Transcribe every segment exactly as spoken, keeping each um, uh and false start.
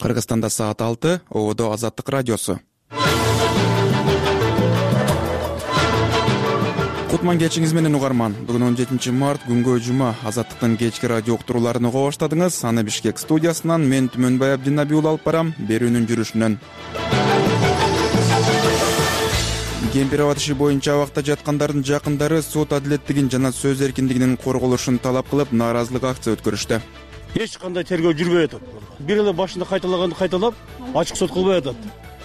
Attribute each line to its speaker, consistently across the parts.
Speaker 1: Кыргызстанда саат алты, Ободо Азаттык радиосу. Кутман кечиңиз менен угарман. Бүгүн он жетинчи март, күнгө жума. Азаттыктын кечки радио уктурууларын уга баштадыңыз. Аны Бишкек студиясынан мен Түмөнбай Абдинабий уулу алып барам. Берүүнүн жүрүшүнөн. Кемпир-Абад иши боюнча абакта жаткандардын жакындары сот адилеттигин жана сөз эркиндигинин корголушун талап кылып, нааразылык акция өткөрүштү.
Speaker 2: Эч кандай тергөө жүрбөй атат. Бир эле башында кайталаганды кайталап, ачык сот кылбай атат.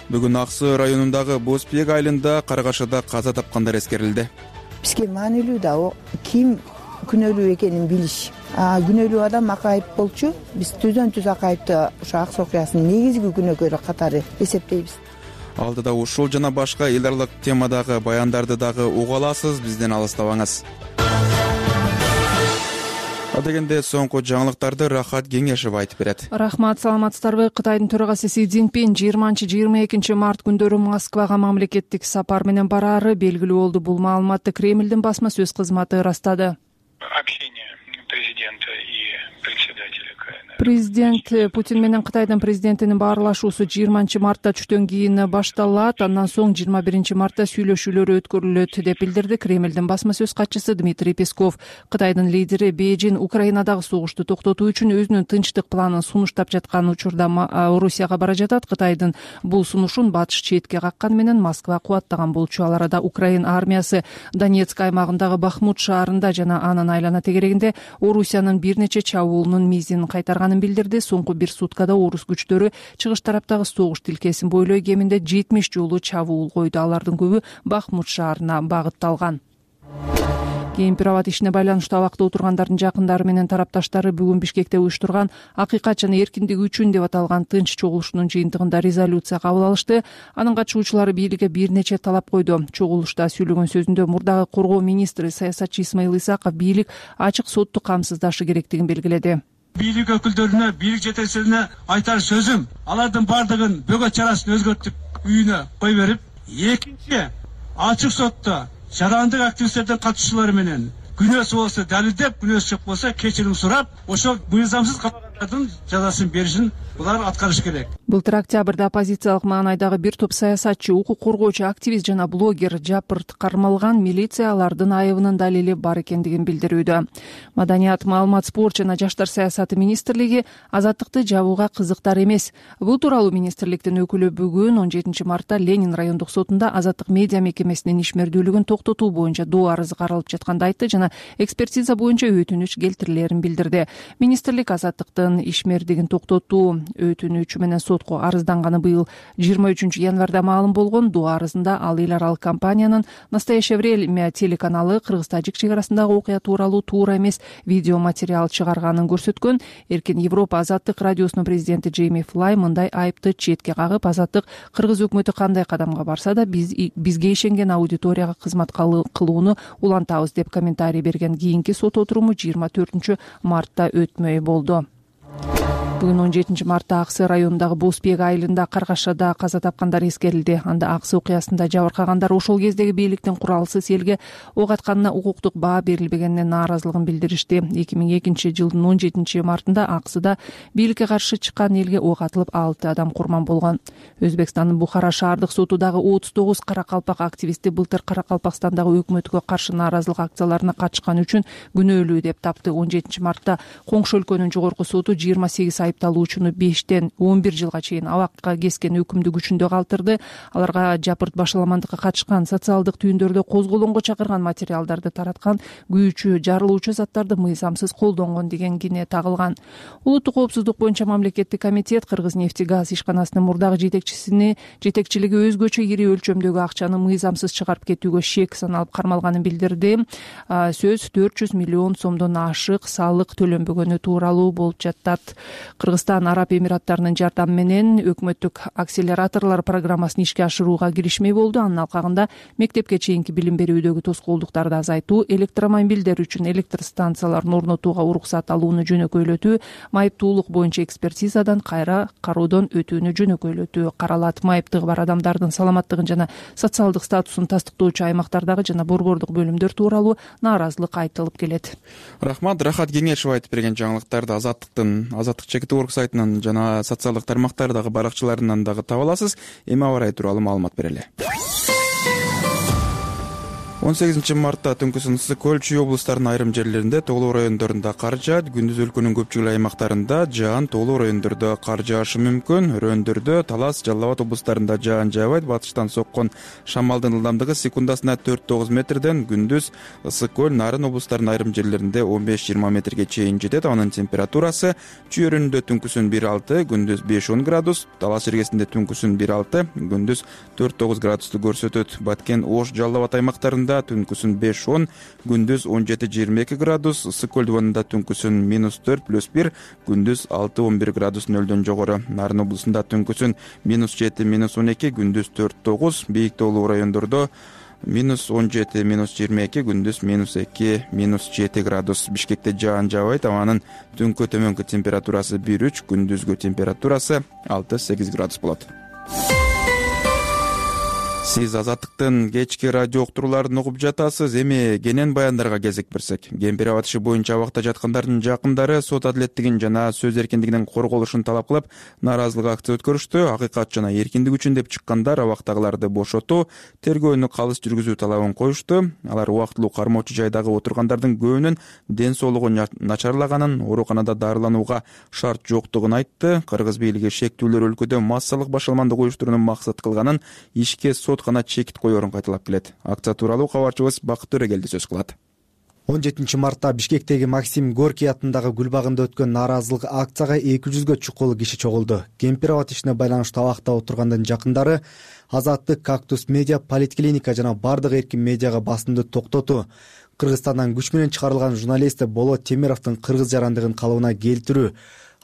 Speaker 1: Бүгүн Аксы районундагы Бозбек айылында каргашада каза тапкандар эскерилди.
Speaker 3: Бизге маанилүү да ким күнөөлүү экенин билиш. А күнөөлүү адам акайып болчу. Биз түздөн түз акайыпты ошо Аксы окуясынын негизги күнөөкөрү катары эсептейбиз.
Speaker 1: Алдыда ушул жана башка эл аралык темадагы баяндарды дагы уга аласыз. Бизден алыстабаңыз. Адегенде соңку жаңылыктарды Рахат Кеңешев айтып берет.
Speaker 4: Рахмат, саламатсыздарбы? Кытайдын төрагасы Си Цзиньпин жыйырманчы жыйырма экинчи март күндөрү Москвага мамлекеттик сапар менен бараары белгилүү болду. Бул маалыматты Кремлдин басма сөз кызматы ырастады.
Speaker 5: Общение президента и председателя.
Speaker 4: Президент Путин менен Кытайдын президентинин баарлашуусу жыйырманчы мартта түштөн кийин башталат. Андан соң жыйырма биринчи мартта сүйлөшүүлөр өткөрүлөт деп билдирди Кремлдин басма сөз катчысы Дмитрий Песков. Кытайдын лидери Бейжин Украинадагы согушту токтотуу үчүн өзүнүн тынчтык планын сунуштап жаткан учурда Орусияга бара жатат. Кытайдын бул сунушун батыш четке какканы менен Москва кубаттаган болчу. Ал арада Украина армиясы Донецк аймагындагы Бахмут шаарында жана анын айлана тегерегинде Орусиянын бир нече чабуулунун мизин кайтарган билдирди. Соңку бир суткада орус күчтөрү чыгыш тараптагы согуш тилкесин бойлой кеминде жетимиш жолу чабуул койду. Алардын көбү Бахмут шаарына багытталган. Кемпир-Абад ишине байланыштуу абакта отургандардын жакындары менен тарапташтары бүгүн Бишкекте уюштурган акыйкат жана эркиндик үчүн деп аталган тынч чогулушунун жыйынтыгында резолюция кабыл алышты. Анын катышуучулары бийликке бир нече талап койду. Чогулушта сүйлөгөн сөзүндө мурдагы коргоо министри саясатчы Исмаил Исаков бийлик ачык сотту камсыздашы керектигин белгиледи.
Speaker 6: Бийлик өкүлдөрүнө, бийлик жетекчилерине айтар сөзүм, алардын бардыгын бөгөт чарасын өзгөртүп үйүнө кой берип, экинчи ачык сотто жарандык активисттердин катышуулары менен күнөөсү болсо далилдеп, күнөөсү жок болсо кечирим сурап, ошол мыйзамсыз камагандардын жазасын беришин булар аткарыш керек.
Speaker 4: Былтыр октябрда оппозициялык маанайдагы бир топ саясатчы, укук коргоочу, активист жана блогер жапырт кармалган. Милиция алардын айыбынын далили бар экендигин билдирүүдө. Маданият, маалымат, спорт жана жаштар саясаты министрлиги азаттыкты жабууга кызыктар эмес. Бул тууралуу министрликтин өкүлү бүгүн он жетинчи мартта Ленин райондук сотунда азаттык медиа мекемесинин ишмердүүлүгүн токтотуу боюнча доо арызы каралып жатканды айтты жана экспертиза боюнча өтүнүч келтирилерин билдирди. Министрлик азаттыктын ишмердигин токтотуу өтүнүчү менен сотко арызданганы быйыл жыйырма үчүнчү январда маалым болгон. Доо арызында ал эл аралык компаниянын Настоящее время телеканалы Кыргыз-Тажик чек арасындагы окуя тууралуу туура эмес видео материал чыгарганын көрсөткөн. Эркин Европа азаттык радиосунун президенти Джейми Флай мындай айыпты четке кагып, азаттык Кыргыз өкмөтү кандай кадамга барса да биз бизге ишенген аудиторияга кызмат кылууну улантабыз деп комментарий берген. Кийинки сот отуруму жыйырма төртүнчү мартта өтмөй болду. Бүгүн он жетинчи мартта Аксы районундагы Бозбек айылында каргашада каза тапкандар эскерилди. Анда Аксы окуясында жабыркагандар ошол кездеги бийликтин куралсыз элге ок атканына укуктук баа берилбегенине нааразылыгын билдиришти. эки миң экинчи жылдын он жетинчи мартында Аксыда бийликке каршы чыккан элге ок атылып алты адам курман болгон. Өзбекстандын Бухара шаардык соту дагы отуз тогуз каракалпак активисти былтыр Каракалпакстандагы өкмөткө каршы нааразылык акцияларына катышканы үчүн күнөөлүү деп тапты. он жетинчи мартта Коңшу өлкөнүн жогорку соту жыйырма сегиз айыпталуучуну бештен он бир жылга чейин абакка кескен өкүмдү күчүндө калтырды. Аларга жапырт башаламандыкка катышкан, социалдык түйүндөрдө козголоңго чакырган материалдарды тараткан, күйүүчү, жарылуучу заттарды мыйзамсыз колдонгон деген кине тагылган. Улуттук коопсуздук боюнча мамлекеттик комитет Кыргыз-нефтегаз ишканасынын мурдагы жетекчисини жетекчилиги өзгөчө ири өлчөмдөгү акчаны мыйзамсыз чыгарып кетүүгө шек саналып кармалганын билдирди. Сөз төрт жүз миллион сомдон ашык салык төлөнбөгөнү тууралуу болуп жатат. Кыргызстан Араб Эмираттарынын жардамы менен өкмөттүк акселераторлор программасын ишке ашырууга киришмей болду. Анын алкагында мектепке чейинки билим берүүдөгү тоскоолдуктарды азайтуу, электромобилдер үчүн электр станцияларын орнотууга уруксат алууну жөнөкөйлөтүү, майыптуулук боюнча экспертизадан кайра кароодон өтүүнү жөнөкөйлөтүү каралат. Майыптыгы бар адамдардын саламаттыгын жана социалдык статусун тастыктоочу аймактардагы жана борбордук бөлүмдөр тууралуу нааразылык айтылып келет.
Speaker 1: Рахмат, Рахат Кеңешев айтып берген жаңылыктарды азаттыктын азаттык чек Org сайтынан жана социалдык тармактардагы баракчаларынан дагы таба аласыз. Эми аба ырайы тууралуу маалымат берели. он сегизинчи мартта түнкүсүн ысык көл, Чүй облустарынын айрым жерлеринде, Тоолуу райондорунда кар жаат. Күндүз өлкөнүн көпчүлүк аймактарында жаан, Тоолуу райондордо кар жаашы мүмкүн. Өрөөндөрдө, Талас, Жалал Абад облустарында жаан жаабайт. Батыштан соккон шамалдын ылдамдыгы секундасына төрт тогуз метрден. Күндүз ысык көл, Нарын облустарынын айрым жерлеринде он беш жыйырма метрге чейин жетет. Анын температурасы Чүй өрөөнүндө түнкүсүн бир алты, күндүз беш он градус, Талас жергесинде түнкүсүн бир алты, күндүз төрт тогуз градусту көрсөтөт. Баткен, Ош, Жалал Абад аймактарында түнкүсүн беш он, күндүз он жети жыйырма эки градус, ысык көл дубанында түнкүсүн минус төрт плюс бир, күндүз алты он бир градус нөлдөн жогору. Нарын облусунда түнкүсүн минус жети минус он эки, күндүз төрт тогуз, Бийик Тоолуу райондордо минус он жети минус жыйырма эки, күндүз минус эки минус жети градус. Бишкекте жаан жаабайт. Абанын түнкү төмөнкү температурасы бир үч, күндүзгү температурасы алты сегиз градус болот. Сиз Азаттыктын кечки радио уктурууларын угуп жатасыз. Эми кенен баяндарга кезек берсек. Кемпир Аба иши боюнча абакта жаткандардын жакындары сот адилеттигин жана сөз эркиндигинин корголушун талап кылып, нааразылык акция өткөрүштү. Акыйкат жана эркиндик үчүн деп чыккандар абактагыларды бошотуу, тергөөнү калыс жүргүзүү талабын коюшту. Алар убактылуу кармоочу жайдагы отургандардын көбүнүн ден соолугу начарлаганын, ооруканада дарыланууга шарт жоктугун айтты. Кыргыз бийлиги шектүүлөр өлкөдө массалык башаламандык уюштурууну максат кылганын, ишке сот гана чекит коерун кайталап келет. Акция тууралуу кабарчыбыз Бакыт Төрөгелди сөз кылат.
Speaker 7: он жетинчи мартта Бишкектеги Максим Горький атындагы гүл багында өткөн нааразылык акцияга эки жүзгө чукул киши чогулду. Кемпир Аба ишине байланыштуу абакта отургандын жакындары Азаттык, Кактус медиа, Политклиника жана бардык эркин медиага басымды токтотуу, Кыргызстандан күч менен чыгарылган журналист Болот Темировдун кыргыз жарандыгын калыбына келтирүү,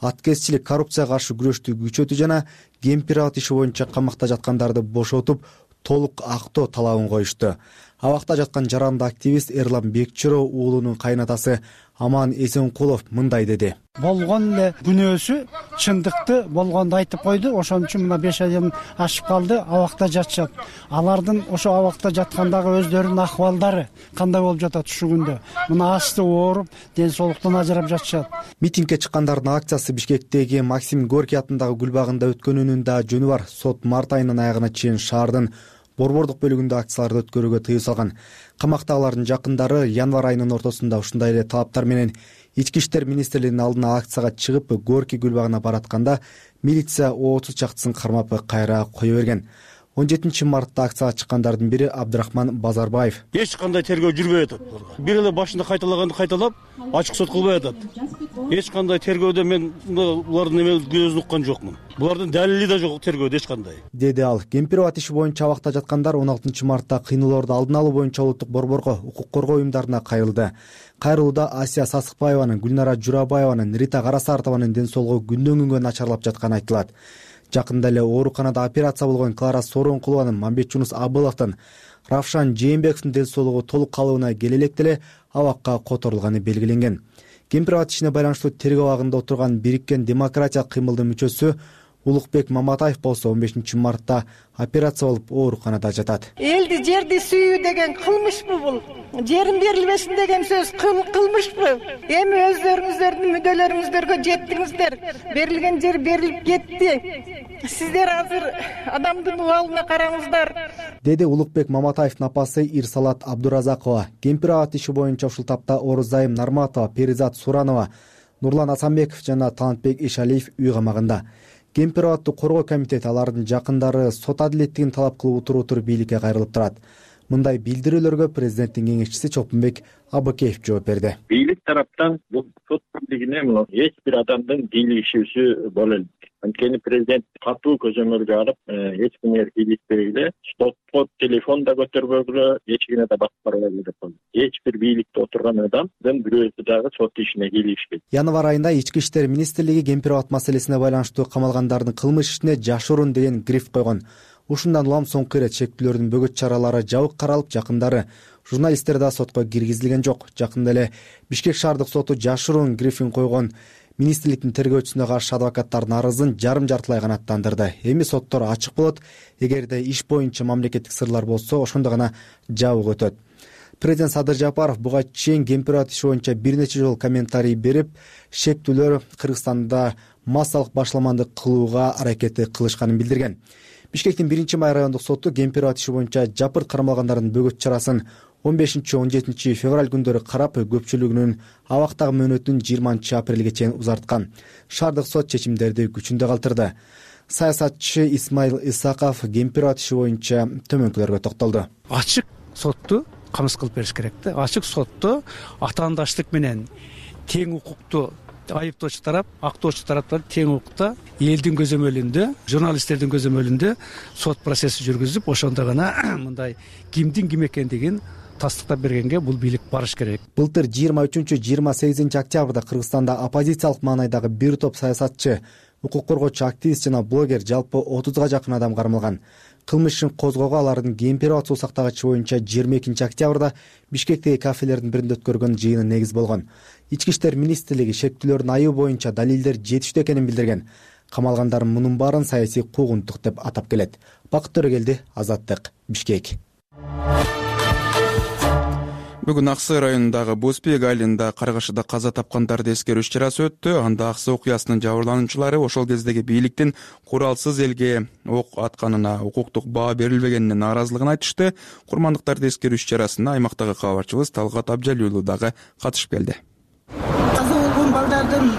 Speaker 7: аткезчилик, коррупцияга каршы күрөштү күчөтүү жана Кемпир Аба иши боюнча камакта жаткандарды бошотуп, толук актоо талабын коюшту. Абакта жаткан жаранды активист Эрлан Бекчиро уулунун кайнатасы Аман Эсенкулов мындай деди.
Speaker 8: Болгон эле күнөөсү чындыкты болгонду айтып койду. Ошон үчүн мына беш айдан ашып калды, абакта жатышат. Алардын ошо абакта жаткандагы өздөрүнүн акыбалдары кандай болуп жатат ушул күндө? Мына асты ооруп, ден соолуктан ажырап жатышат.
Speaker 7: Митингге чыккандардын акциясы Бишкектеги Максим Горький атындагы гүл багында өткөнүнүн да жөнү бар. Сот март айынын аягына чейин шаардын борбордук бөлүгүндө акцияларды өткөрүүгө тыюу салган. Камактагылардын жакындары январь айынын ортосунда ушундай эле талаптар менен Ички иштер министрлигинин алдына акцияга чыгып, Горький гүл багына баратканда милиция отуз чактысын кармап кайра кое берген. он жетинчи мартта акцияга чыккандардын бири Абдрахман Базарбаев.
Speaker 2: Эч кандай тергөө жүрбөй атат. Бир эле башында кайталаганды кайталап, ачык сот кылбай атат. Эч кандай тергөөдө мен булардын эме көзүн уккан жокмун. Булардын далили да жок тергөөдө эч кандай.
Speaker 7: Деди ал. Кемпир Аба иши боюнча абакта жаткандар он алтынчы мартта кыйноолорду алдын алуу боюнча улуттук борборго, укук коргоо уюмдарына кайрылды. Кайрылууда Асия Сасыкбаеванын, Гүлнара Журабаеванын, Рита Карасартованын ден соолугу күндөн күнгө начарлап жатканы айтылат. Жакында эле ооруканада операция болгон Клара Соронкулованын, Мамбет Жунус Абыловдун, Равшан Жээнбековдун ден соолугу толук калыбына келе электе эле абакка которулганы белгиленген. Кемпир Аба ишине байланыштуу тергөө абагында отурган Бириккен демократиялык кыймылдын мүчөсү Улукбек Маматаев болсо он бешинчи мартта операция болуп ооруканада жатат.
Speaker 9: Элди жерди сүйүү деген кылмышпы бул? Жерин берилбесин деген сөз кылмышпы? Эми өздөрүңүздөрдүн мүдөлөрүңүздөргө жеттиңиздер. Берилген жер берилип кетти. Сиздер азыр адамдын убалына караңыздар.
Speaker 7: Деди Улукбек Маматаевдин апасы Ирсалат Абдуразакова. Кемпир Аба иши боюнча ушул тапта Орузайым Нарматова, Перизат Суранова, Нурлан Асанбеков жана Талантбек Ишалиев үй камагында. Кемпир Абадты коргоо комитети алардын жакындары сот адилеттигин талап кылып отуруп бийликке кайрылып турат. Мындай билдирүүлөргө президенттин кеңешчиси Чолпонбек Абыкеев жооп берди.
Speaker 10: Бийлик тараптан бул сот бийлигине эч бир адамдын кийлигишүүсү боло элек. Анткени президент катуу көзөмөлгө алып, эч кимге кийлигишпегиле, сотко телефон да көтөрбөгүлө, эч кимге да басып барбагыла деп койду. Эч бир бийликте отурган адамдын бирөөсү дагы сот ишине кийлигишпейт.
Speaker 7: Январь айында Ички иштер министрлиги Кемпир Аба маселесине байланыштуу камалгандардын кылмыш ишине жашыруун деген гриф койгон. Ушундан улам соңку ирет шектүүлөрдүн бөгөт чаралары жабык каралып, жакындары журналисттер да сотко киргизилген жок. Жакында эле Бишкек шаардык соту жашыруун грифин койгон министрликтин тергөөчүсүнө каршы адвокаттардын арызын жарым жартылай канааттандырды. Эми соттор ачык болот. Эгерде иш боюнча мамлекеттик сырлар болсо, ошондо гана жабык өтөт. Президент Садыр Жапаров буга чейин Кемпир Аба иши боюнча бир нече жолу комментарий берип, шектүүлөр Кыргызстанда массалык башламандык кылууга аракети кылышканын билдирген. Бишкектин биринчи май райондук соту Кемпирабад иши боюнча жапырт кармалгандардын бөгөт чарасын он бешинчи он жетинчи февраль күндөрү карап, көпчүлүгүнүн абактагы мөөнөтүн жыйырманчы апрелге чейин узарткан. Шаардык сот чечимдерди күчүндө калтырды. Саясатчы Исмаил Исаков Кемпирабад иши боюнча төмөнкүлөргө токтолду.
Speaker 8: Ачык сотту камсыз кылып бериш керек да. Ачык сотто атаандаштык менен тең укукту айыптоочу тарап, актоочу тараптар тең укукта элдин көзөмөлүндө, журналисттердин көзөмөлүндө сот процесси жүргүзүп, ошондо гана мындай кимдин ким экендигин тастыктап бергенге бул бийлик барыш керек.
Speaker 7: Былтыр жыйырма үчүнчү жыйырма сегизинчи октябрда Кыргызстанда оппозициялык маанайдагы бир топ саясатчы, укук коргоочу, активист жана блогер жалпы отузга жакын адам кармалган. Кылмыш ишин козгоого алардын Кемпирабад суу сактагычы боюнча жыйырма экинчи октябрда Бишкектеги кафелердин биринде өткөргөн жыйыны негиз болгон. Ички иштер министрлиги шектүүлөрдүн айыбы боюнча далилдер жетиштүү экенин билдирген. Камалгандардын мунун баарын саясий куугунтук деп атап келет. Бакыт Төрөгелди, Азаттык, Бишкек.
Speaker 1: Бүгүн Аксы районундагы Боспек айылында каргашыда каза тапкандарды эскерүү иш-чарасы өттү. Анда Аксы окуясынын жабырлануучулары ошол кездеги бийликтин куралсыз элге ок атканына, укуктук баа берилбегенине нааразылыгын айтышты. Курмандыктарды эскерүү иш-чарасына аймактагы кабарчыбыз Талгат Абжалиев уулу дагы катышып келди.
Speaker 3: Каза болгон балдардын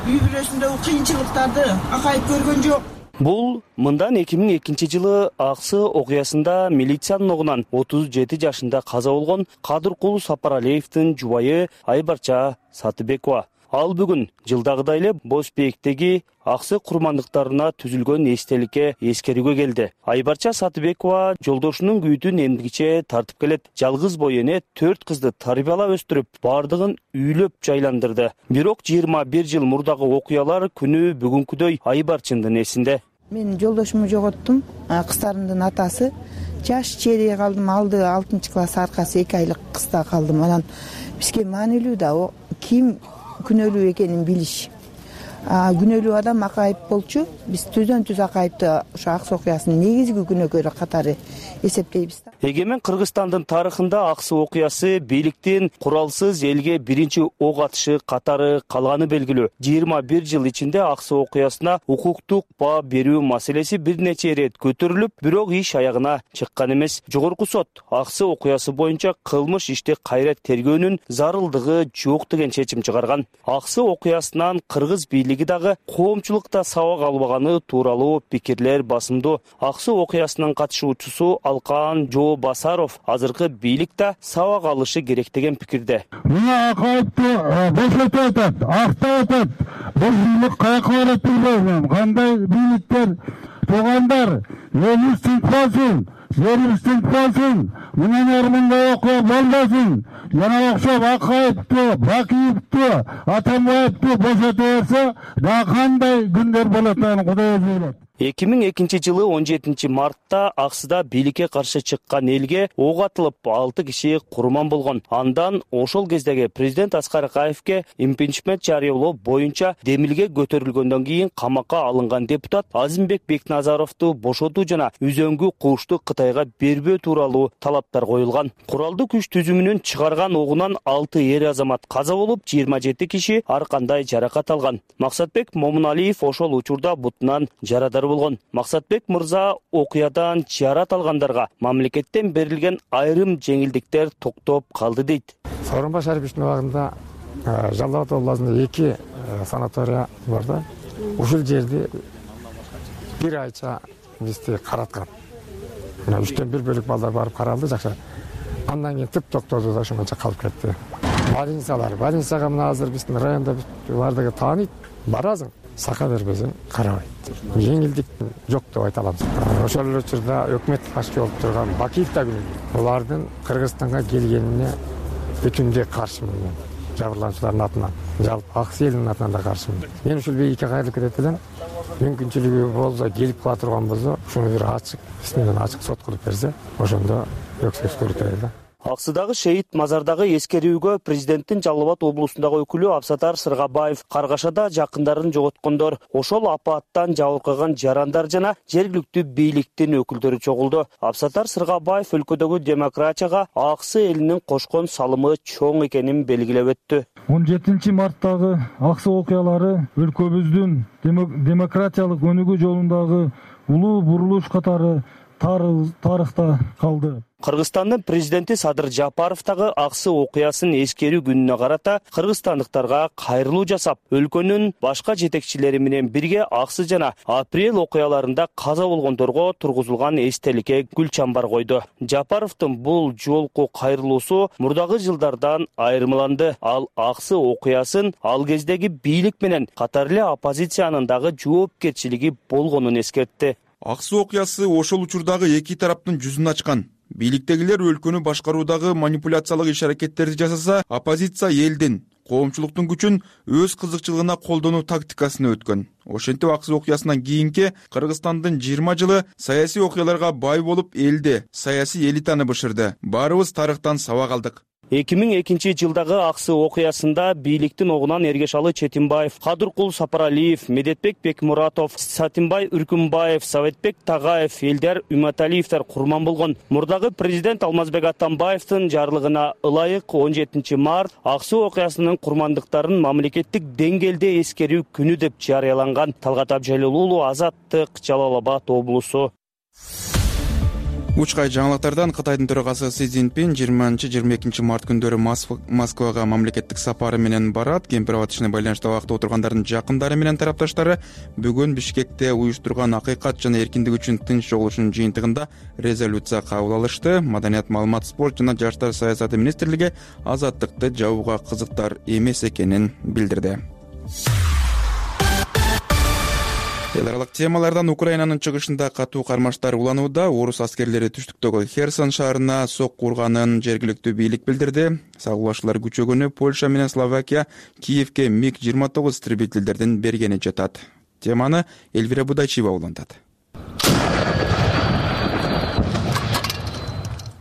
Speaker 3: үй бүлөсүндөгү кыйынчылыктарды акайып көргөн жок.
Speaker 11: Бул мындан эки миң экинчи жылы Аксы окуясында милициянын огунан отуз жети жашында каза болгон Кадыркул Сапаралиевдин жубайы Айбарча Сатыбекова. Ал бүгүн жылдагыдай эле Боспектеги Аксы курмандыктарына түзүлгөн эстеликке эскерүүгө келди. Айбарча Сатыбекова жолдошунун күйүтүн эмгиче тартып келет. Жалгыз бой эне төрт кызды тарбиялап өстүрүп, бардыгын үйлөп жайландырды. Бирок жыйырма бир жыл мурдагы окуялар күнү бүгүнкүдөй Айбарчындын эсинде.
Speaker 3: Мен жолдошумду жоготтум. Кыздарымдын атасы жаш чейре калдым. Алды алтынчы класс, аркасы эки айлык кызда калдым. Анан бизге маанилүү да ким күнөөлүү экенин билиш. Күнөөлүү адам акайып болчу. Биз түздөн түз акайыпты ошо Аксы окуясынын негизги күнөөкөрү катары эсептейбиз да.
Speaker 11: Эгемен Кыргызстандын тарыхында Аксы окуясы бийликтин куралсыз элге биринчи ок атышы катары калганы белгилүү. жыйырма бир жыл ичинде Аксы окуясына укуктук баа берүү маселеси бир нече ирет көтөрүлүп, бирок иш аягына чыккан эмес. Жогорку сот Аксы окуясы боюнча кылмыш ишти кайра тергөөнүн зарылдыгы жок деген чечим чыгарган. Аксы окуясынан кыргыз бийлиги дагы коомчулукта сабак албаганы тууралуу пикирлер басымдуу. Аксы окуясынын катышуучусу Алкан Жоо Басаров азыркы бийликте сабак алышы керек деген пикирде.
Speaker 12: Мына акайыпты бошотуп атат, актап атат. Бул каяка барат билбейм. Кандай бийликтер, туугандар, элибиз тынчпасын, жерибиз тынчпасын, мындан ары мындай окуя болбосун. Жана окшоп акайыпты, Бакиевди, Атамбаевди бошотуп берсе, да кандай күндөр болот аны Кудай өзү билет.
Speaker 11: эки миң экинчи жылы он жетинчи мартта Аксыда бийликке каршы чыккан элге ок атылып, алты киши курман болгон. Андан ошол кездеги президент Аскар Акаевке импичмент жарыялоо боюнча демилге көтөрүлгөндөн кийин камакка алынган депутат Азимбек Бекназаровду бошотуу жана үзөңгү кушту Кытайга бербөө тууралуу талаптар коюлган. Куралдуу күч түзүмүнүн чыгарган огунан алты эр азамат каза болуп, жыйырма жети киши ар кандай жаракат алган. Максатбек Момуналиев ошол учурда бутунан жарадар болгон. Максатбек мырза окуядан жарат алгандарга мамлекеттен берилген айрым жеңилдиктер токтоп калды дейт.
Speaker 12: Сооронбай Шариповичтин убагында Жалал Абад областында эки санатория бар да. Ушул жерди бир айча бизди караткан. Мына үчтөн бир бөлүк балдар барып каралды, жакшы. Андан кийин тип токтоду да ошондо калып кетти. Больницалар, больницага мына азыр биздин районда бардыгы тааныйт, барасың. Сака бербесең карабайт. Жеңилдик жок деп айта аламыз. Ошол эле учурда өкмөт башчы болуп турган Бакиев да күнөө. Булардын Кыргызстанга келгенине бүтүндөй каршымын. Жабырлануучулардын атынан, жалпы Аксы элинин атынан да каршымын. Мен ушул бийликке кайрылып кетет элем. Мүмкүнчүлүгү болсо, келип кала турган болсо, ушуну бир ачык, биз менен ачык сот кылып берсе, ошондо өксөз көрүтөйт да.
Speaker 11: Аксыдагы шейит мазардагы эскерүүгө президенттин Жалал Абад облусундагы өкүлү Абсатар Сыргабаев, Каргашада жакындарын жоготкондор, ошол апаттан жабыркаган жарандар жана жергиликтүү бийликтин өкүлдөрү чогулду. Абсатар Сыргабаев өлкөдөгү демократияга Аксы элинин кошкон салымы чоң экенин белгилеп өттү.
Speaker 13: он жетинчи марттагы аксы окуялары өлкөбүздүн демократиялык өнүгүү жолундагы улуу бурулуш катары тарыхта калды.
Speaker 11: Кыргызстандын президенти Садыр Жапаров дагы аксы окуясын эскерүү күнүнө карата кыргызстандыктарга кайрылуу жасап, өлкөнүн башка жетекчилери менен бирге аксы жана апрель окуяларында каза болгондорго тургузулган эстеликке гүл чамбар койду. Жапаровдун бул жолку кайрылуусу мурдагы жылдардан айырмаланды. Ал аксы окуясын ал кездеги бийлик менен катар эле оппозициянын дагы жоопкерчилиги болгонун эскертти.
Speaker 1: Аксы окуясы ошол учурдагы эки тараптын жүзүн ачкан. Бийликтегилер өлкөнү башкаруудагы манипуляциялык иш-аракеттерди жасаса, оппозиция элдин, коомчулуктун күчүн өз кызыкчылыгына колдонуу тактикасына өткөн. Ошентип аксы окуясынан кийинки Кыргызстандын жыйырма жылы саясий окуяларга бай болуп, элди, саясий элитаны бышырды. Баарыбыз тарыхтан сабак алдык.
Speaker 11: эки миң экинчи жылдагы аксы окуясында бийликтин огунан Эргешалы Четимбаев, Кадыркул Сапаралиев, Медетбек Бекмуратов, Сатимбай Үркүмбаев, Советбек Тагаев, Элдар Үматалиевдер курман болгон. Мурдагы президент Алмазбек Атамбаевдин жарлыгына ылайык он жетинчи март аксы окуясынын курмандыктарын мамлекеттик деңгээлде эскерүү күнү деп жарыяланган. Талгат Абжалил уулу, Азаттык, Жалал Абад облусу.
Speaker 1: Учкай жаңылыктардан Кытайдын төрагасы Си Цзиньпин жыйырманчы жыйырма экинчи март күндөрү Москвага мамлекеттик сапары менен барат. Кемпир аба ишине байланыштуу абакта отургандардын жакындары менен тарапташтары бүгүн Бишкекте уюштурган акыйкат жана эркиндик үчүн тынч жогулушунун жыйынтыгында резолюция кабыл алышты. Маданият, маалымат, спорт жана жаштар саясаты министрлиги азаттыкты жабууга кызыктар эмес экенин билдирди. Эл аралык темалардан Украинанын чыгышында катуу кармаштар уланууда. Орус аскерлери түштүктөгү Херсон шаарына сокку урганын жергиликтүү бийлик билдирди. Сагылашуулар күчөгөнү Польша менен Словакия Киевке миг жыйырма тогуз истребительдердин бергени жатат. Теманы Эльвира Будайчиева улантат.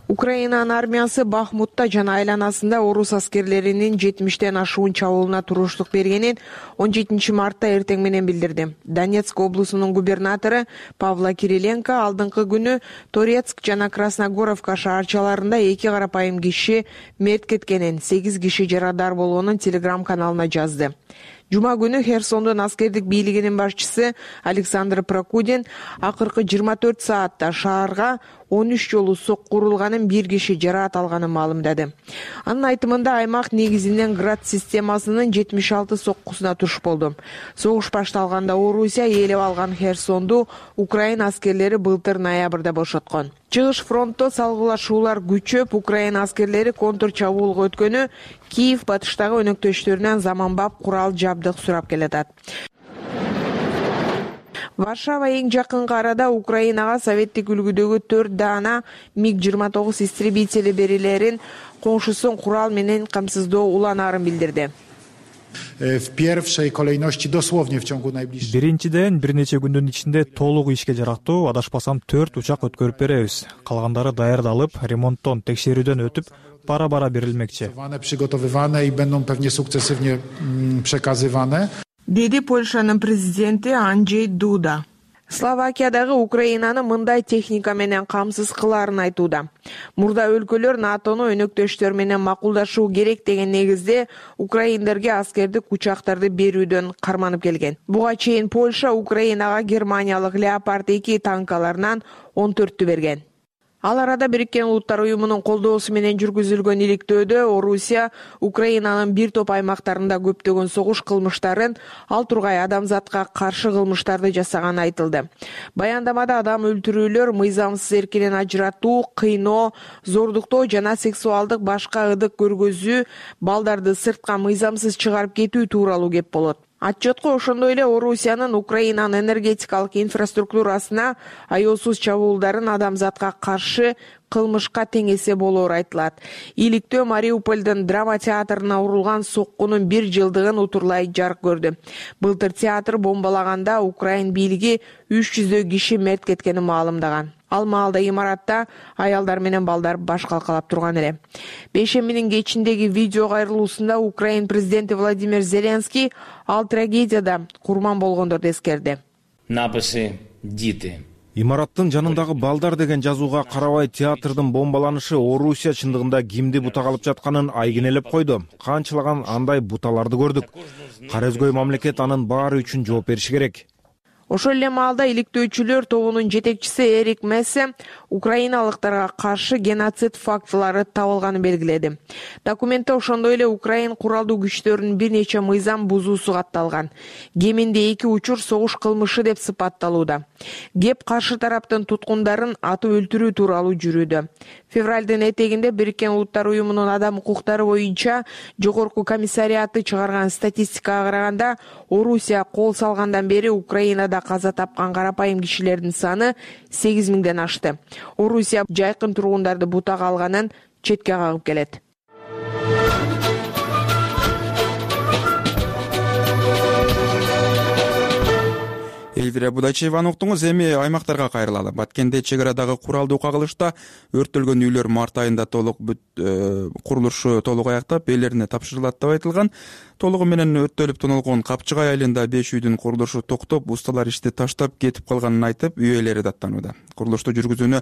Speaker 14: Украинанын армиясы Бахмутта жана айланасында орус аскерлеринин жетимиштен ашуун чабуулуна туруштук бергенин он жетинчи мартта эртең менен билдирди. Донецк облусунун губернатору Павла Кириленко алдыңкы күнү Торецк жана Красногоровка шаарчаларында эки карапайым киши мерт кеткенин, сегиз киши жарадар болгонун телеграм-каналына жазды. Жума күнү Херсондун аскердик бийлигинин башчысы Александр Прокудин акыркы жыйырма төрт саатта шаарга он үч жолу сокку урулганын, бир киши жараат алганын маалымдады. Анын айтымында аймак негизинен Град системасынын жетимиш алты соккусуна туш болду. Согуш башталганда Орусия ээлеп алган Херсонду Украина аскерлери былтыр ноябрда бошоткон. Чыгыш фронтто салгылашуулар күчөп, Украина аскерлери контур чабуулга өткөнү Киев батыштагы өнөктөштөрүнөн заманбап курал жабдык сурап келатат. Варшава эң жакынкы арада Украинага советтик үлгүдөгү төрт даана миг жыйырма тогуз истребители берилерин коңшусун курал менен камсыздоо уланаарын билдирди.
Speaker 15: Биринчиден, бир нече күндүн ичинде толук ишке жарактуу, адашпасам төрт учак өткөрүп беребиз. Калгандары даярдалып, ремонттон, текшерүүдөн өтүп, бара-бара берилмекчи.
Speaker 14: Деди Польшанын президенти Анджей Дуда. Словакиядагы Украинаны мындай техника менен камсыз кылаарын айтууда. Мурда өлкөлөр НАТОну өнөктөштөр менен макулдашуу керек деген негизде украиндерге аскердик учактарды берүүдөн карманып келген. Буга чейин Польша Украинага германиялык Леопард эки танкаларынан он төрттү берген. Ал арада Бириккен Улуттар уюмунун колдоосу менен жүргүзүлгөн иликтөөдө Орусия Украинанын бир топ аймактарында көптөгөн согуш кылмыштарын, ал тургай адамзатка каршы кылмыштарды жасаганы айтылды. Баяндамада адам өлтүрүүлөр, мыйзамсыз эркинен ажыратуу, кыйноо, зордуктоо жана сексуалдык башка ыдык көргөзүү, балдарды сыртка мыйзамсыз чыгарып кетүү тууралуу кеп болот. Отчетко ошондой эле Орусиянын Украинанын энергетикалык инфраструктурасына аяосуз чабуулдарын адамзатка каршы кылмышка тең эсе болоору айтылат. Иликтөө Мариупольдун драма театрына урулган соккунун бир жылдыгын утурлай жарык көрдү. Былтыр театр бомбалаганда Украин бийлиги үч жүздөй киши мерт кеткенин маалымдаган. Ал маалда имаратта аялдар менен балдар баш калкалап турган эле. Бейшембинин кечиндеги видео кайрылуусунда Украин президенти Владимир Зеленский ал трагедияда курман болгондорду эскерди.
Speaker 16: Написи «Діти». Имараттын жанындагы балдар деген жазууга карабай театрдын бомбаланышы Орусия чындыгында кимди бутак алып жатканын айгинелеп койду. Канчалаган андай буталарды көрдүк. Кара өзгөй мамлекет анын баары үчүн жооп бериши керек.
Speaker 14: Ошол эле маалда иликтөөчүлөр тобунун жетекчиси Эрик Мессе украиналыктарга каршы геноцид фактылары табылганын белгиледи. Документте ошондой эле Украин куралдуу күчтөрүнүн бир нече мыйзам бузуусу катталган. Кеминде эки учур согуш кылмышы деп сыпатталууда. Кеп каршы тараптын туткундарын атып өлтүрүү тууралуу жүрүүдө. Февралдын этегинде Бириккен Улуттар уюмунун адам укуктары боюнча жогорку комиссариаты чыгарган статистикага караганда, Орусия кол салгандан бери Украинада каза тапкан карапайым кишилердин саны сегиз миңден ашты. Орусия жайкын тургундарды бутак алганын четке кагып келет.
Speaker 1: Элвира Будайчееваны уктуңуз. Эми аймактарга кайрылалы. Баткенде чек арадагы куралдуу кагылышта өрттөлгөн үйлөр март айында толук курулушу толук аяктап, ээлерине тапшырылат деп айтылган. Толугу менен өрттөлүп тоналгон Капчыгай айылында беш үйдүн курулушу токтоп, усталар ишти таштап кетип калганын айтып, үй ээлери даттанууда. Курулушту жүргүзүүнү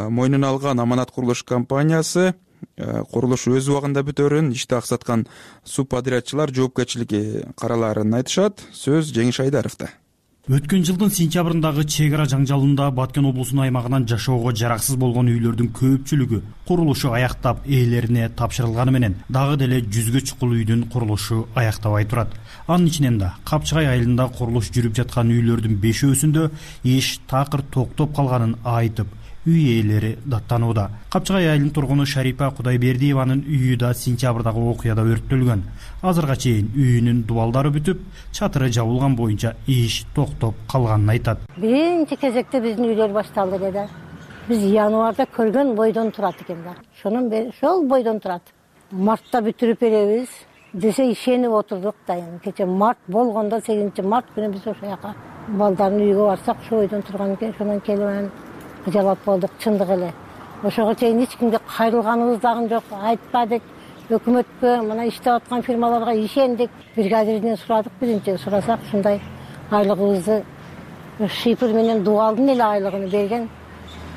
Speaker 1: мойнуна алган Аманат курулуш компаниясы курулуш өз убагында бүтөрүн, ишти аксаткан субподрядчылар жоопкерчилиги караларын айтышат. Сөз Жеңиш Айдаровдо.
Speaker 17: Өткөн жылдын сентябрындагы чек ара жаңжалында Баткен облусунун аймагынан жашоого жараксыз болгон үйлөрдүн көпчүлүгү курулушу аяктап, ээлерине тапшырылганы менен дагы деле жүзгө чукул үйдүн курулушу аяктабай турат. Анын ичинен да Капчыгай айылында курулуш жүрүп жаткан үйлөрдүн бешөөсүндө иш такыр токтоп калганын айтып, үй ээлери даттанууда. Капчыгай айылынын тургуну Шарипа Кудайбердиеванын үйү да сентябрдагы окуяда өрттөлгөн. Азырга чейин үйүнүн дубалдары бүтүп, чатыры жабылган боюнча иш токтоп калганын айтат.
Speaker 18: Биринчи кезекте биздин үйлөр башталды эле. Биз январда көргөн бойдон турат экен да. Шонун бери ошол бойдон турат. Мартта бүтүрүп беребиз десе ишенип отурдук да. Кече март болгондо сегизинчи март күнү биз ошол жака балдардын үйгө барсак, ошо бойдон турган экен. Ошондон келип жалап болдук, чындык эле. Ошого чейин эч кимге кайрылганыбыз дагы жок, айтпадык. Өкмөткө, мына иштеп аткан фирмаларга ишендик. Бригадирден сурадык, биринчи сурасак, ушундай айлыгыбызды шифр менен дубалдын эле айлыгын берген.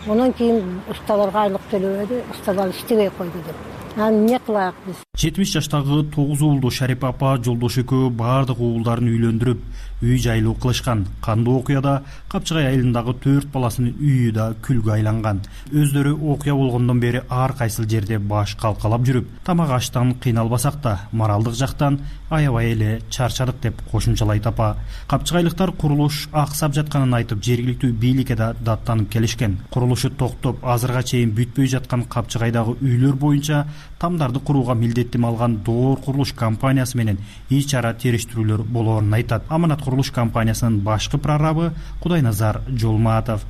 Speaker 18: Андан кийин усталарга айлык төлөбөдү, усталар иштебей койду деп. Аны эмне кылайык биз?
Speaker 17: жетимиш жаштагы тогуз уулду Шарипа апа жолдош экөө баардык уулдарын үйлөндүрүп, үй жайлуу кылышкан. Кандуу окуяда Капчыгай айылындагы төрт баласынын үйү да күлгө айланган. Өздөрү окуя болгондон бери ар кайсыл жерде баш калкалап жүрүп, тамак аштан кыйналбасак да, моралдык жактан аябай эле чарчадык деп кошумчалайт апа. Капчыгайлыктар курулуш аксап жатканын айтып, жергиликтүү бийликке да даттанып келишкен. Курулушу токтоп, азырга чейин бүтпөй жаткан Капчыгайдагы үйлөр боюнча тамдарды курууга милдеттим алган Доор курулуш компаниясы менен ич ара териштирүүлөр болоорун айтат. Аманат курулуш компаниясынын башкы прорабы Кудайназар Жолматов.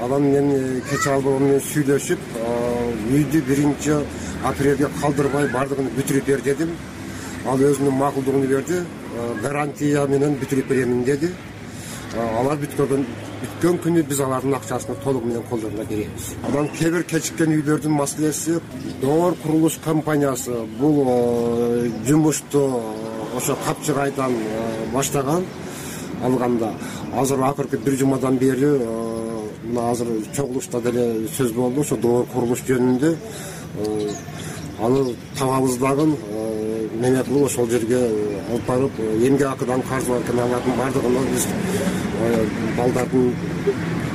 Speaker 19: Анан мен кече албагы менен сүйлөшүп, үйдү биринчи апрелге калдырбай бардыгын бүтүрүп бер дедим. Ал өзүнүн макулдугун берди, гарантия менен бүтүрүп беремин деди. Алар бүткөн бүткөн күнү биз алардын акчасын толугу менен колдоруна беребиз. Анан кээ бир кечиккен үйлөрдүн маселеси Доор курулуш компаниясы бул жумушту ошо Капчыгайдан баштаган алганда. Азыр акыркы бир жумадан бери мына азыр чогулушта деле сөз болду ошо Доор курулуш жөнүндө. Аны табабыз дагы мени кылып ошол жерге алып барып, эмгек акыдан каржылар алардын бардыгын биз балдардын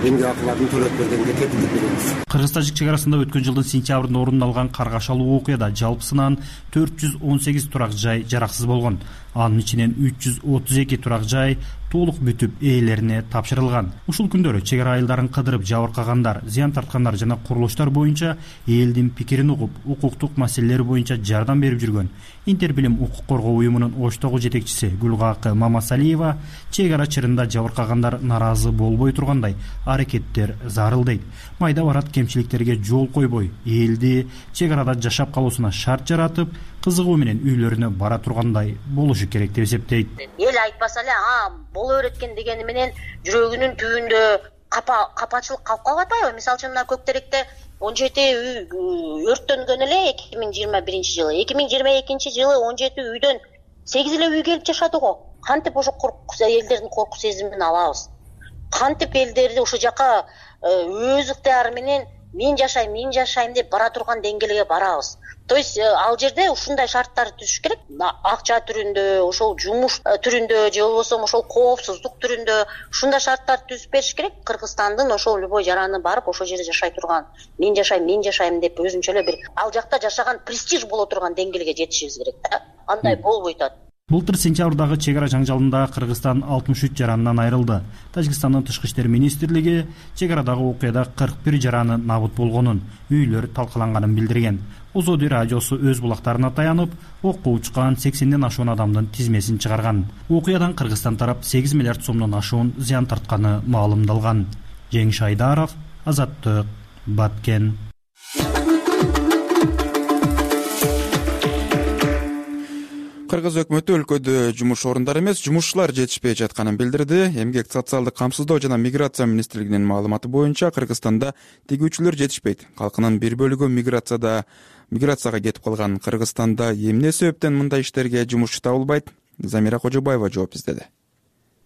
Speaker 19: эмгек акыларын төлөп бергенге кепилдик беребиз.
Speaker 17: Кыргыз-тажик чек арасында өткөн жылдын сентябрында орун алган каргашалуу окуяда жалпысынан төрт жүз он сегиз турак жай жараксыз болгон. Анын ичинен үч жүз отуз эки турак жай толук бүтүп ээлерине тапшырылган. Ушул күндөрү чек ара айылдарын кыдырып жабыркагандар, зыян тарткандар жана курулуштар боюнча элдин пикирин угуп, укуктук маселелери боюнча жардам берип жүргөн Интербилим укук коргоо уюмунун Оштогу жетекчиси Гүлгакы Мамасалиева чек ара чырында жабыркагандар наразы болбой тургандай аракеттер зарыл дейт. Майда барат кемчиликтерге жол койбой, элди чек арада жашап калуусуна шарт жаратып, кызыгуу менен үйлөрүнө бара тургандай болушу керек деп эсептейт.
Speaker 20: Эл айтпаса эле, а боло берет экен дегени менен жүрөгүнүн түбүндө капа капачылык калып калбайт атпайбы? Мисалы үчүн мына Көктеректе он жети үй өрттөнгөн эле эки миң жыйырма биринчи жылы. эки миң жыйырма экинчи жылы он жети үйдөн сегиз эле үй келип жашады го. Кантип ошо элдердин корку сезимин алабыз? кантип элдерди ушул жака өз ыктыяры менен мен жашайм мен жашайм деп бара турган деңгээлге барабыз. То есть ал жерде ушундай шарттар түзүш керек. Акча түрүндө, ошол жумуш түрүндө же болбосо ошол коопсуздук түрүндө ушундай шарттар түзүп бериш керек. Кыргызстандын ошол любой жараны барып ошол жерде жашай турган, мен жашайм, мен жашайм деп өзүнчө эле бир ал жакта жашаган престиж боло турган деңгээлге жетишибиз керек да. Андай болбой атат.
Speaker 17: Былтыр сентябрдагы чек ара жаңжалында Кыргызстан алтымыш үч жаранынан айрылды. Тажикстандын тышкы иштер министрлиги чек арадагы окуяда кырк бир жараны набыт болгонун, үйлөр талкаланганын билдирген. Озоди радиосу өз булактарына таянып, окко учкан сексенден ашуун адамдын тизмесин чыгарган. Окуядан Кыргызстан тарап сегиз миллиард сомдон ашуун зыян тартканы маалымдалган. Жеңиш Айдаров, Азаттык, Баткен.
Speaker 1: Кыргыз өкмөтү өлкөдө жумуш орундары эмес, жумушчулар жетишпей жатканын билдирди. Эмгек социалдык камсыздоо жана миграция министрлигинин маалыматы боюнча Кыргызстанда тигүүчүлөр жетишпейт. Калкынын бир бөлүгү миграцияда миграцияга кетип калган. Кыргызстанда эмне себептен мындай иштерге жумушчу табылбайт? Замира Кожобаева жооп издеди.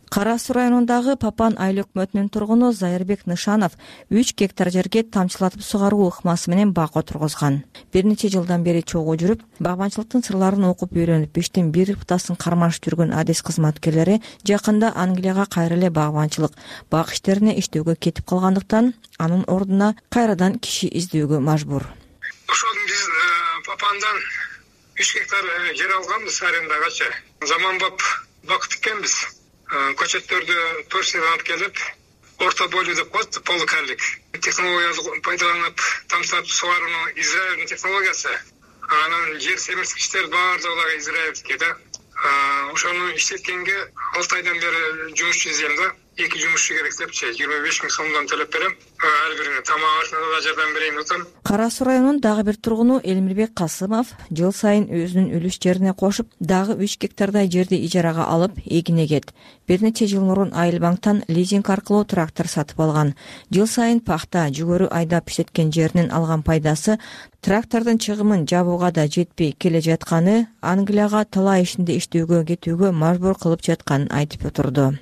Speaker 21: Кара Суу районундагы Папан айыл өкмөтүнүн тургуну Зайырбек Нышанов үч гектар жерге тамчылатып сугаруу ыкмасы менен бак отургузган. Бир нече жылдан бери чогуу жүрүп, багбанчылыктын сырларын окуп үйрөнүп, иштин бир ыптасын кармашып жүргөн адис кызматкерлери жакында Англияга кайра эле багбанчылык, бак иштерине иштөөгө кетип калгандыктан анын ордуна кайрадан киши издөөгө мажбур.
Speaker 22: Ошол биз Папандан үч гектар жер алганбыз арендагачы. Заманбап бак тиккенбиз. Көчөттөрдү Турциядан алып келип, орто бойлуу деп коет, полукарлик технологияны пайдаланып, тамчылатып сугарууну Израилдин технологиясы. Анан жер семирткичтер баардыгы израилдики да. Ошону иштеткенге алты айдан бери жумушчу издейм да. Эки жумушчу керек депчи, жыйырма беш миң сомдон төлөп берем. Ар бирине тамак ашына да жардам берейин деп атам.
Speaker 21: Кара Суу районунун дагы бир тургуну Элмирбек Касымов жыл сайын өзүнүн үлүш жерине кошуп, дагы үч гектардай жерди ижарага алып, эгин эгет. Бир нече жыл мурун Айыл банктан лизинг аркылуу трактор сатып алган. Жыл сайын пахта, жүгөрү айдап иштеткен жеринен алган пайдасы трактордун чыгымын жабууга да жетпей келе жатканы, Англияга талай ишинде иштөөгө кетүүгө мажбур кылып жатканын айтып отурду.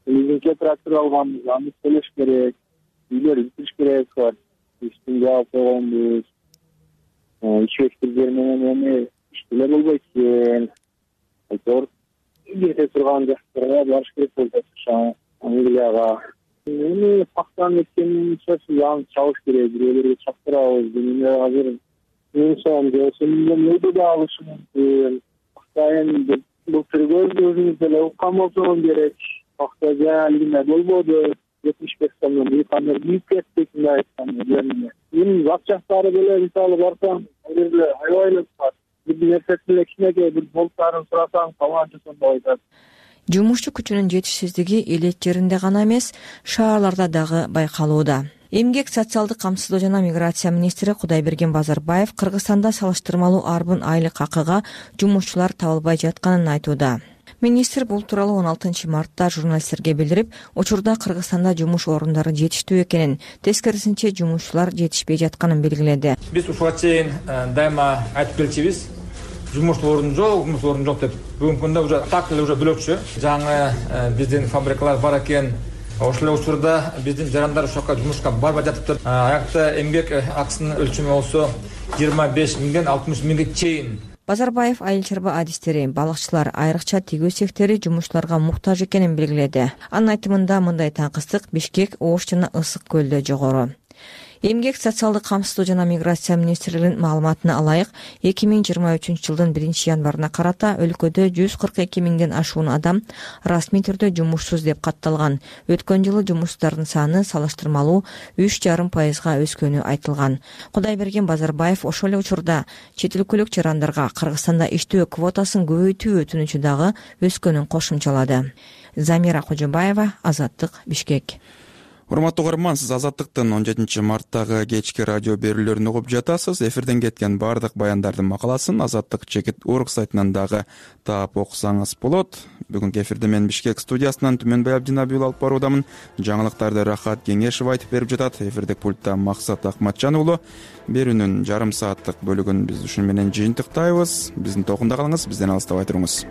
Speaker 23: Лизингге трактор алганбыз, аны төлөш керек, үйлөр бүтүш керек бар. Иштин жаап койгонбуз. Иш өткүздөр менен эми иштеле болбойт экен. Айтор кете турган жактарга барыш керек болуп атат, Англияга. Эми пахтаны эккенин сөзсүз аны чабыш керек, бирөөлөргө чаптырабыз. Эми азыр миң сом же миңден өйдө да алышы мүмкүн. Пахтайын былтыргы өзүңүз деле уккан болсоңуз керек. Пахта жаалгына болбоду, жетимиш беш сомдон бийкандар бийип кеттик, мындай айтканда. Эми зат жактары деле мисалы барсаң, ал жерде аябай эле бар. Бир нерсесин кичинекей бир болуттарын сурасаң, таланчы сомдо айтат.
Speaker 21: Жумушчу күчүнүн жетишсиздиги элет жеринде гана эмес, шаарларда дагы байкалууда. Эмгек социалдык камсыздоо жана миграция министри Кудайберген Базарбаев Кыргызстанда салыштырмалуу арбын айлык акыга жумушчулар табылбай жатканын айтууда. Министр бул тууралуу он алтынчы мартта журналисттерге билдирип, учурда Кыргызстанда жумуш орундары жетиштүү экенин, тескерисинче жумушчулар жетишпей жатканын белгиледи.
Speaker 24: Биз ушуга чейин дайыма айтып келчүбүз, жумуш орун жок, жумуш орун жок деп. Бүгүнкү күндө уже так эле уже бөлөкчү. Жаңы биздин фабрикалар бар экен. Ошол учурда биздин жарандар ошока жумушка барбай жатыптыр. Аякта эмгек акысынын өлчөмү болсо жыйырма беш миңден алтымыш миңге чейин.
Speaker 21: Базарбаев айыл чарба адистери, балыкчылар, айрыкча тигүү сектори жумушчуларга муктаж экенин белгиледи. Анын айтымында мындай таңкыстык Бишкек, Ош жана Ысык көлдө жогору. Эмгек социалдык камсыздоо жана миграция министрлигинин маалыматына алайык, эки миң жыйырма үчүнчү жылдын биринчи январына карата өлкөдө жүз кырк эки миңден ашуун адам расмий түрдө жумушсуз деп катталган. Өткөн жылы жумушсуздардын саны салыштырмалуу үч жарым пайызга өскөнү айтылган. Кудайберген Базарбаев ошол эле учурда чет өлкөлүк жарандарга Кыргызстанда иштөө квотасын көбөйтүү өтүнүчү дагы өскөнүн кошумчалады. Замира Кожобаева, Азаттык, Бишкек.
Speaker 1: Урматтуу угарман, сиз Азаттыктын он жетинчи марттагы кечки радио берүүлөрүн угуп жатасыз. Эфирден кеткен бардык баяндардын макаласын Азаттык чекит орг сайтынан дагы таап окусаңыз болот. Бүгүнкү эфирде мен Бишкек студиясынан Түмөнбай Абдинабиул алып баруудамын. Жаңылыктарды Рахат Кеңешев айтып берип жатат. Эфирдик пультта Максат Акматжан уулу. Берүүнүн жарым сааттык бөлүгүн биз ушуну менен жыйынтыктайбыз. Биздин токунда калыңыз, бизден алыстабай туруңуз.